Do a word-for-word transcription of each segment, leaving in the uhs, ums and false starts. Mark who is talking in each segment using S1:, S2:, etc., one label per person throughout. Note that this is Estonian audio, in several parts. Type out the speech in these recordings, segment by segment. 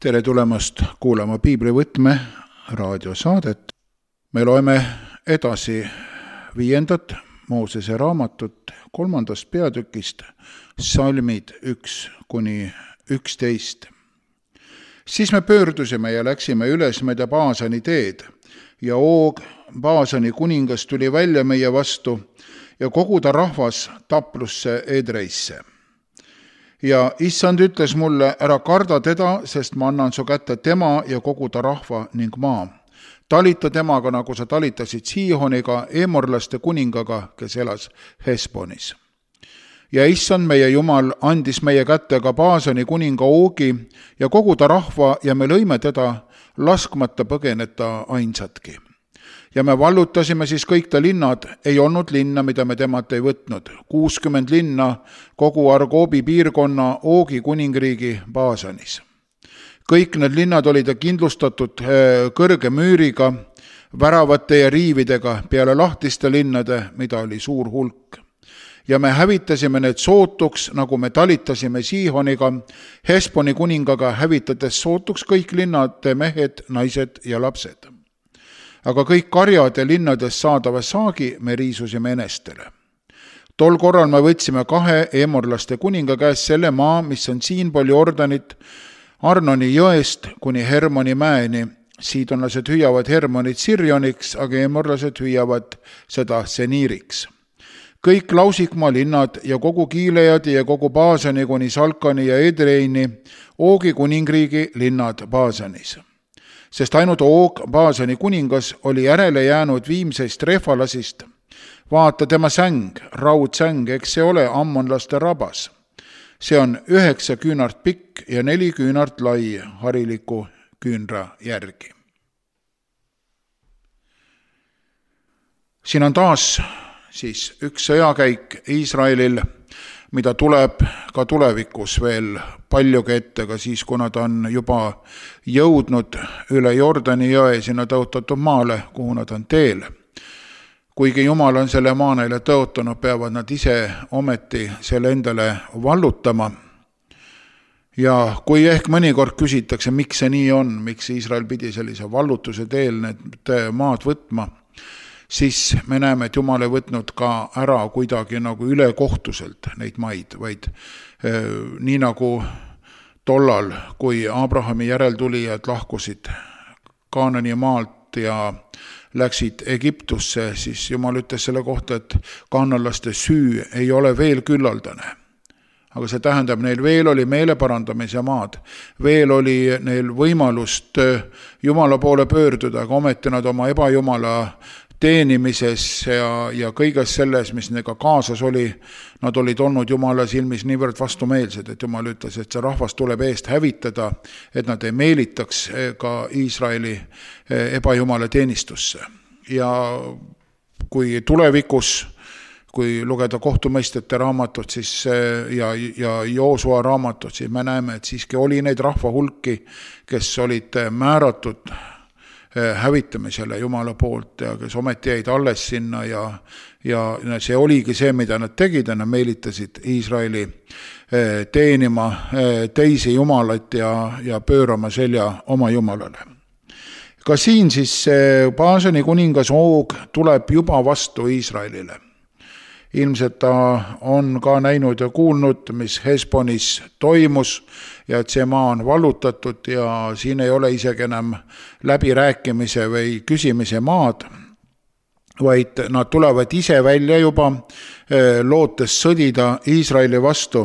S1: Tere tulemast kuulama Piiblivõtme raadiosaadet. Me loeme edasi viiendat Moosese raamatut kolmandast peatükist, salmid üks kuni üksteist. Siis me pöördusime ja läksime üles mööda Baasani teed ja Oog, Baasani kuningas, tuli välja meie vastu ja kogu ta rahvas taplusse Edreisse. Ja issand ütles mulle, ära karda teda, sest ma annan su kätte tema ja kogu ta rahva ning maa. Talita temaga, nagu sa talitasid Siihoniga, Eemorlaste kuningaga, kes elas Hesbonis. Ja issand meie Jumal andis meie kätte ka Baasani kuninga Oogi ja kogu ta rahva ja me lõime teda, laskmata põgeneta ainsatki. Ja me vallutasime siis kõik ta linnad, ei olnud linna, mida me temalt ei võtnud. kuuskümmend linna kogu Argoobi piirkonna Oogi kuningriigi Baasanis. Kõik need linnad olid kindlustatud kõrge müüriga, väravate ja riividega peale lahtiste linnade, mida oli suur hulk. Ja me hävitasime need sootuks, nagu me talitasime Siihoniga, Hesboni kuningaga hävitades sootuks kõik linnade mehed, naised ja lapsed. Aga kõik karjad ja linnades saadava saagi me riisusime enestele. Tol korral me võtsime kahe Eemorlaste kuninga käest selle maa, mis on siinpool Jordanit, Arnoni jõest kuni Hermoni mäeni. Siidonlased hüüavad Hermonit Sirjoniks, aga eemorlased hüüavad seda Seniiriks. Kõik Lausikmaa linnad ja kogu Kiileadi ja kogu Baasani kuni Salkani ja Edreini, Oogi kuningriigi linnad Baasanis. Sest ainult Oog, Baasani kuningas, oli järele jäänud viimseist Refalasist. Vaata tema säng, raudsäng, eks see ole ammonlaste rabas. See on üheksa küünart pikk ja neli küünart lai hariliku küünra järgi. Siin on taas siis üks sõjakäik Iisraelil, mida tuleb ka tulevikus veel paljugi ette, ka siis, kuna ta on juba jõudnud üle Jordani jõe sinna tõotatud maale, kuhu nad on teel. Kuigi Jumal on selle maa neile tõotanud, peavad nad ise ometi selle endale vallutama. Ja kui ehk mõnikord küsitakse, miks see nii on, miks Iisrael pidi sellise vallutuse teel need maad võtma, siis me näeme, et Jumal ei võtnud ka ära kuidagi nagu ülekohtuselt neid maid, vaid eh, nii nagu tollal, kui Abrahami järeltulijad lahkusid Kaanani maalt ja läksid Egiptusse, siis Jumal ütles selle kohta, et kaanalaste süü ei ole veel küllaldane. Aga see tähendab, neil veel oli meeleparandamise maad, veel oli neil võimalust Jumala poole pöörduda, aga ometi nad oma ebajumala teenimises ja, ja kõiges selles, mis nendega kaasas oli, nad olid olnud Jumala silmis niivõrd vastumeelsed, et Jumal ütles, et see rahvas tuleb eest hävitada, et nad ei meelitaks ka Iisraeli ebajumala teenistusse. Ja kui tulevikus, kui lugeda kohtumõistjate raamatut siis, ja, ja Joosua raamatut, siis me näeme, et siiski oli neid rahva hulki, kes olid määratud hävitamisele Jumala poolt ja kes ometi jäid alles sinna ja, ja see oligi see, mida nad tegid ja nad meelitasid Iisraeli teenima teisi jumalaid ja, ja pöörama selja oma jumalale. Ka siin siis Baasani kuningas Oog tuleb juba vastu Iisraelile. Ilmselt ta on ka näinud ja kuulnud, mis Hesbonis toimus ja et see maa on vallutatud ja siin ei ole isegi enam läbirääkimise või küsimise maad, vaid nad tulevad ise välja juba lootes sõdida Iisraeli vastu.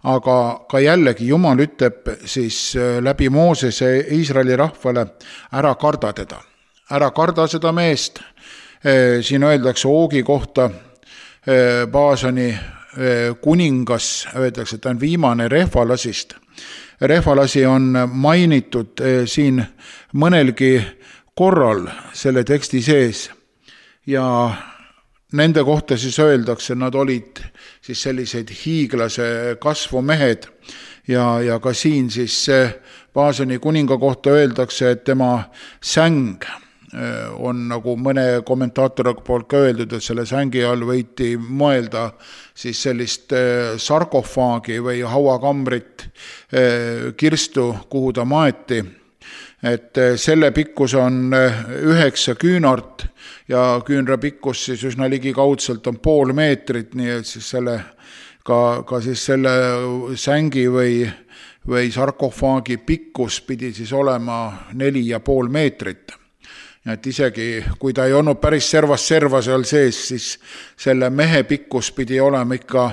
S1: Aga ka jällegi Jumal ütleb siis läbi Moosese Iisraeli rahvale, ära karda teda, ära karda seda meest. Siin öeldakse Oogi kohta, Baasani kuningas, öeldakse, et ta on viimane Refalasist. Refalasi on mainitud siin mõnelgi korral selle teksti sees ja nende kohta siis öeldakse, nad olid siis sellised hiiglase kasvu mehed ja, ja ka siin siis Baasani kuninga kohta öeldakse, et tema säng on nagu mõne kommentaatori poolt ka öeldud, et selle sängi all võiti mõelda siis sellist sarkofaagi või hauakambrit kirstu, kuhu ta maeti. Et selle pikkus on üheksa küünart ja küünra pikkus siis üsna ligikaudselt on pool meetrit, nii et siis selle, ka, ka siis selle sängi või või sarkofaagi pikkus pidi siis olema neli ja pool meetrit. Et isegi kui ta ei olnud päris servas serva seal sees, siis selle mehe pikkus pidi olema ikka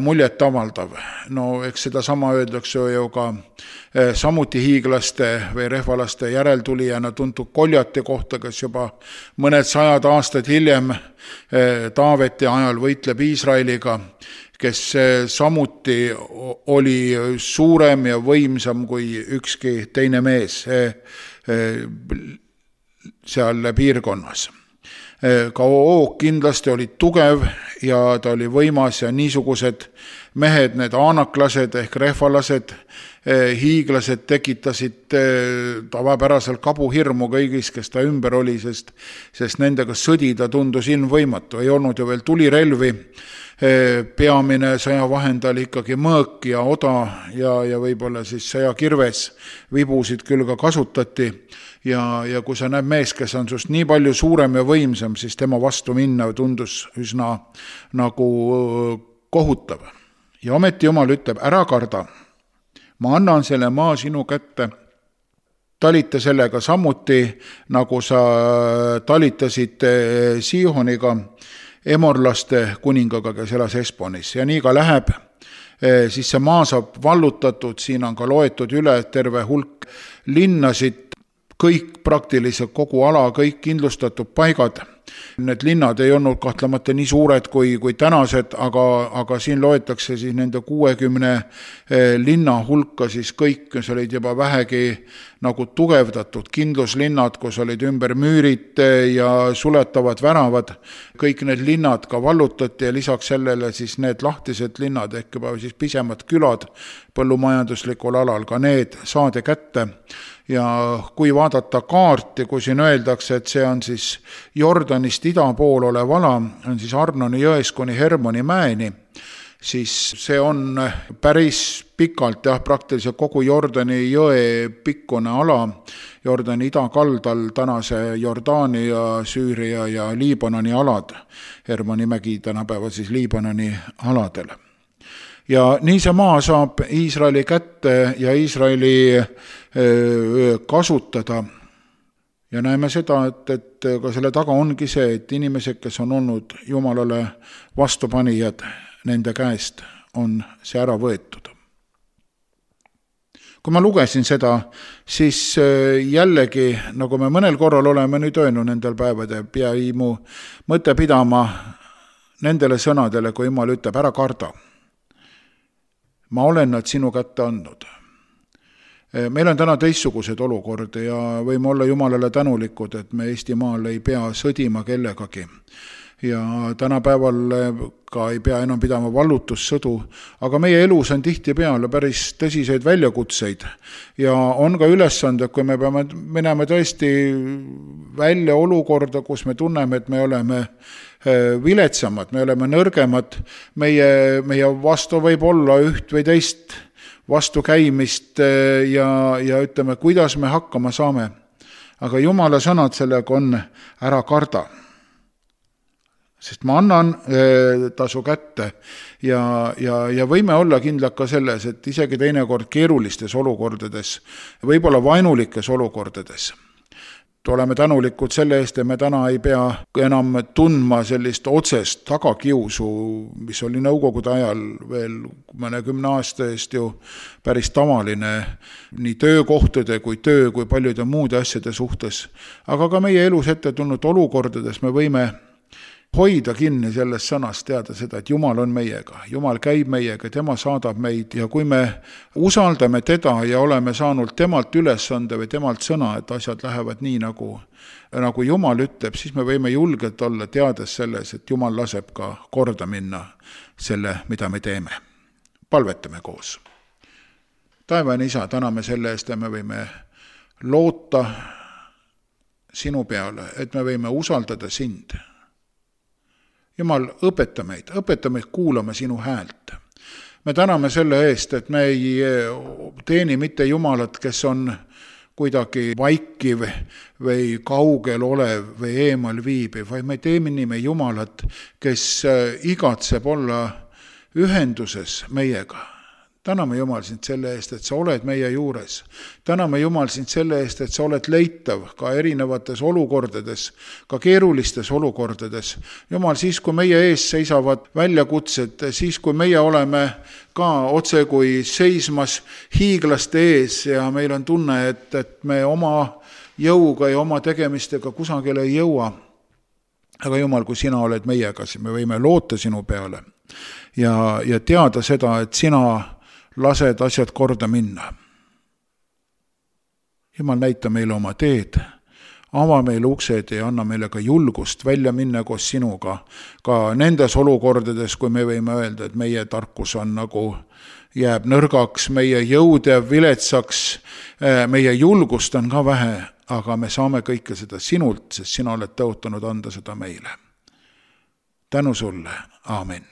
S1: muljet avaldav. No eks seda sama öeldakse ju ka samuti hiiglaste või rehvalaste järeltulijana tuntud Koljati kohta, kes juba mõned sajad aastad hiljem Taaveti ajal võitleb Iisraeliga, kes samuti oli suurem ja võimsam kui ükski teine mees seal piirkonnas. Ka Oog kindlasti oli tugev ja ta oli võimas ja niisugused mehed, need aanaklased ehk rehvalased, hiiglased tekitasid tavapäraselt kabuhirmu kõigis, kes ta ümber oli, sest, sest nendega sõdida tundus ilmvõimatu. Ei olnud ju veel tulirelvi, peamine sõjavahend oli ikkagi mõõk ja oda ja, ja võib-olla siis sõjakirves, vibusid küll ka kasutati ja, ja kui sa näed mees, kes on sust nii palju suurem ja võimsam, siis tema vastu minna tundus üsna nagu kohutav. Ja ometi Jumal ütleb, ära karda, ma annan selle maa sinu kätte, talita sellega samuti, nagu sa talitasid Siihoniga, emorlaste kuningaga, kes elas Esponis. Ja nii ka läheb, siis see maa saab vallutatud, siin on ka loetud üle terve hulk linnasid, kõik praktiliselt kogu ala, kõik kindlustatud paigad. Need linnad ei olnud kahtlemata nii suured kui, kui tänased, aga, aga siin loetakse siis nende kuuekümne linna hulka siis kõik, kes olid juba vähegi nagu tugevdatud kindluslinnad, kus olid ümber müürid ja suletavad väravad. Kõik need linnad ka vallutati ja lisaks sellele siis need lahtised linnad ehk juba siis pisemad külad põllumajanduslikul alal, ka need saadi kätte. Ja kui vaadata kaarti, kui siin öeldakse, et see on siis Jordanist ida pool olev ala, on siis Arnoni jões kuni Hermoni mäeni, siis see on päris pikalt, jah, praktiliselt kogu Jordani jõe pikkune ala, Jordani idakaldal tänase Jordaani ja Süüria ja Liibanoni alad, Hermoni mägi tänapäeval siis Liibanoni aladel. Ja nii see maa saab Iisraeli kätte ja Iisraeli kasutada. Ja näeme seda, et, et ka selle taga ongi see, et inimesed, kes on olnud Jumalale vastupanijad, nende käest on see ära võetud. Kui ma lugesin seda, siis jällegi, nagu me mõnel korral oleme nüüd öelnud nendel päevade, jäi mu mõte pidama nendele sõnadele, kui Jumal ütleb, ära karda. Ma olen nad sinu kätte andnud. Meil on täna teistsugused olukordi ja võime olla Jumalale tänulikud, et me Eestimaal ei pea sõdima kellegagi. Ja tänapäeval ka ei pea enam pidama vallutussõdu, aga meie elus on tihtipeale päris tõsiseid väljakutseid ja on ka ülesanded, kui me peame minema tõesti välja olukorda, kus me tunneme, et me oleme viletsamad, me oleme nõrgemad, meie, meie vastu võib olla üht või teist vastukäimist ja, ja ütleme, kuidas me hakkama saame. Aga Jumala sõnad sellega on ära karda. Sest ma annan tasu kätte ja, ja, ja võime olla kindlad ka selles, et isegi teinekord keerulistes olukordades, võib-olla vainulikes olukordades, oleme tänulikud selle eest, et me täna ei pea enam tundma sellist otsest tagakiusu, mis oli nõukogude ajal veel mõnekümne aasta eest ju päris tavaline nii töökohtade kui töö kui paljude muude asjade suhtes. Aga ka meie elus ette tulnud olukordades me võime hoida kinni sellest sõnast, teada seda, et Jumal on meiega, Jumal käib meiega, tema saadab meid ja kui me usaldame teda ja oleme saanud temalt ülesande või temalt sõna, et asjad lähevad nii, nagu, nagu Jumal ütleb, siis me võime julgelt olla teades selles, et Jumal laseb ka korda minna selle, mida me teeme. Palvetame koos. Taevane Isa, täname selle eest, et me võime loota sinu peale, et me võime usaldada sind. Jumal, õpeta meid, õpeta meid kuulama sinu häält. Me täname selle eest, et me ei teeni mitte Jumalat, kes on kuidagi vaikiv või kaugel olev või eemal viibiv, vaid me teeme Jumalat, kes igatseb olla ühenduses meiega. Täname Jumal sind selle eest, et sa oled meie juures. Täname Jumal sind selle eest, et sa oled leitav ka erinevates olukordades, ka keerulistes olukordades. Jumal, siis kui meie ees seisavad väljakutsed, siis kui meie oleme ka otse kui seismas hiiglaste ees ja meil on tunne, et, et me oma jõuga ja oma tegemistega kusagile ei jõua. Aga Jumal, kui sina oled meiega, siis me võime loota sinu peale ja, ja teada seda, et sina lased asjad korda minna. Jumal, näita meile oma teed, ava meile uksed ja anna meile ka julgust välja minna koos sinuga, ka nendes olukordades, kui me võime öelda, et meie tarkus on nagu jääb nõrgaks, meie jõud jääb viletsaks, meie julgust on ka vähe, aga me saame kõike seda sinult, sest sina oled tõotanud anda seda meile. Tänu sulle, aamen.